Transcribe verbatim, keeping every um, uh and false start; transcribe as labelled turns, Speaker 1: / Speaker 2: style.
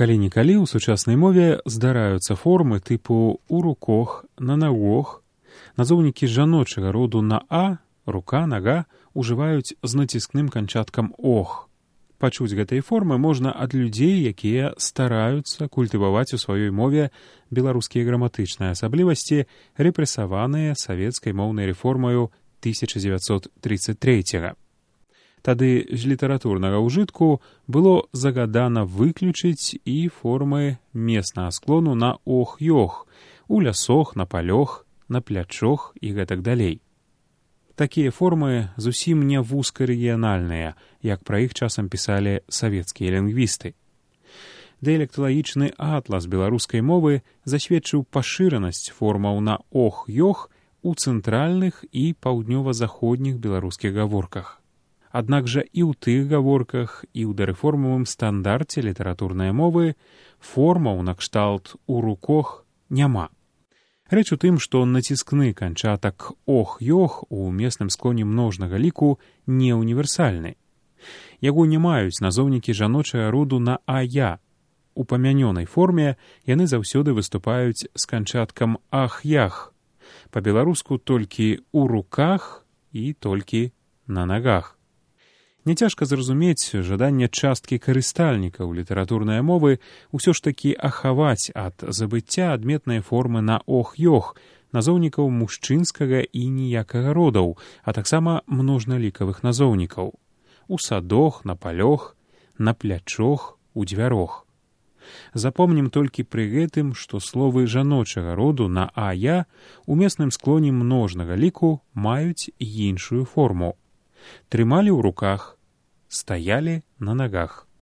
Speaker 1: Калі-нікалі ў сучаснай мове здараюцца формы тыпу «у рукох», «на нагох». Назоўнікі жаночага роду на «а», «рука», «нага» ужываюць з націскным канчаткам «ох». Пачуць гэтай формы можна ад людзей, якія стараюцца культываваць у сваёй мове беларускія граматычныя асаблівасці, рэпрэсаваныя савецкай моўнай рэформаю тысяча дзевяцьсот трыццаць трэцяга. Тады з літаратурнага ўжытку было загадана выключыць і формы меснага склону на ох-ёх, у лясох, на палёх, на плячох і гэтак далей. Такія формы зусім не вузкарэгіянальныя, як пра іх часам пісалі савецкія лінгвісты. Дыялекталагічны атлас беларускай мовы засведчыў пашыранасць формаў на ох-ёх у цэнтральных і паўднёва-заходніх беларускіх гаворках. Аднак жа і ў тых гаворках, і ў дарэформавым стандарце літаратурнай мовы формаў накшталт «у рукох» няма. Рэч у тым, што націскны канчатак «ох-ёх» у месным склоне множнага ліку не універсальны. Яго не маюць назоўнікі жаночага роду на «а-я». У памянёнай форме яны заўсёды выступаюць з канчаткам «ах-ях». Па-беларуску толькі «у руках» і толькі «на нагах». Няцяжка зразумець жаданне часткі карыстальнікаў літаратурнай мовы ўсё ж такі ахаваць ад забыцця адметныя формы на ох-ёх, назоўнікаў мужчынскага і ніякага родаў, а таксама множналікавых назоўнікаў у садох, на палёх, на плячох, у дзвярох. Запомнім толькі пры гэтым, што словы жаночага роду на «а-я» у месным склоне множнага ліку маюць іншую форму. Трымалі ў руках, стаялі на нагах.